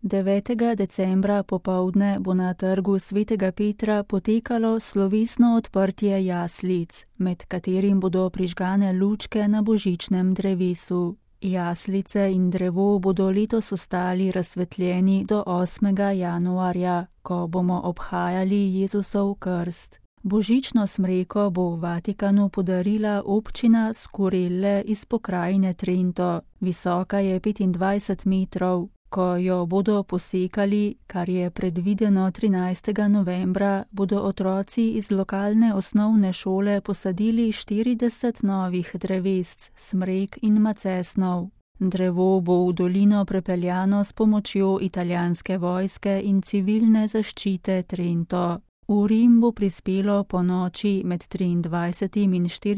9. decembra popoldne bo na trgu Svetega Petra potekalo slovesno odprtje jaslic, med katerim bodo prižgane lučke na božičnem drevesu. Jaslice in drevo bodo letos ostali razsvetljeni do 8. januarja, ko bomo obhajali Jezusov krst. Božično smreko bo v Vatikanu podarila občina Skurelle iz pokrajine Trento. Visoka je 25 metrov. Ko jo bodo posekali, kar je predvideno 13. novembra, bodo otroci iz lokalne osnovne šole posadili 40 novih drevesc, smrek in macesnov. Drevo bo v dolino prepeljano s pomočjo italijanske vojske in civilne zaščite Trento. V Rim bo prispelo po noči med 23.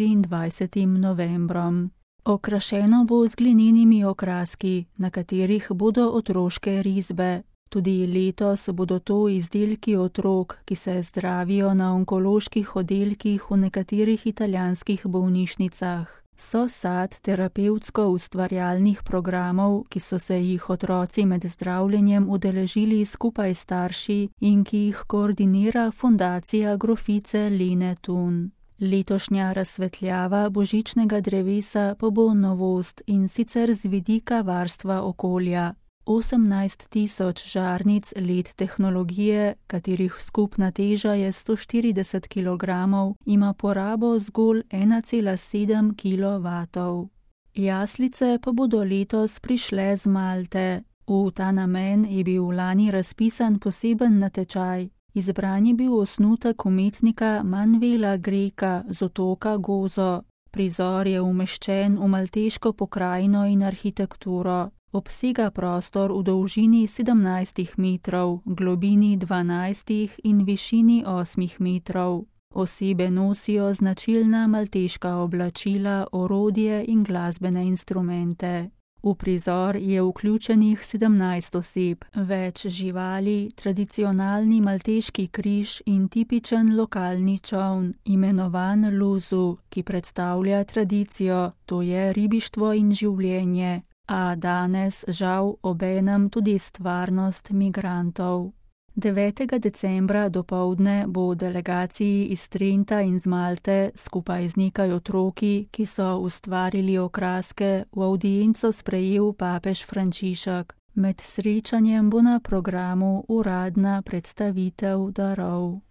in 24. novembrom. Okrašeno bo z glinenimi okraski, na katerih bodo otroške risbe. Tudi letos bodo to izdelki otrok, ki se zdravijo na onkoloških oddelkih v nekaterih italijanskih bolnišnicah. So sad terapevtsko-ustvarjalnih programov, ki so se jih otroci med zdravljenjem udeležili skupaj s starši in ki jih koordinira Fundacija grofice Lene Thun. Letošnja razsvetljava božičnega drevesa pa bo novost, in sicer z vidika varstva okolja. 18.000 žarnic LED tehnologije, katerih skupna teža je 140 kg, ima porabo zgolj 1,7 kW. Jaslice pa bodo letos prišle z Malte. V ta namen je bil lani razpisan poseben natečaj. Izbran je bil osnutek umetnika Manuela Greka z otoka Gozo. Prizor je umeščen v malteško pokrajino in arhitekturo. Obsega prostor v dolžini 17 metrov, globini 12 in višini 8 metrov. Osebe nosijo značilna malteška oblačila, orodje in glasbene instrumente. V prizor je vključenih 17 oseb, več živali, tradicionalni malteški križ in tipičen lokalni čoln, imenovan Luzu, ki predstavlja tradicijo, to je ribištvo in življenje, a danes žal obenem tudi stvarnost migrantov. 9. decembra dopoldne bo v delegaciji iz Trenta in z Malte skupaj z nekaj otroki, ki so ustvarili okraske, v avdienco sprejel papež Frančišek. Med srečanjem bo na programu uradna predstavitev darov.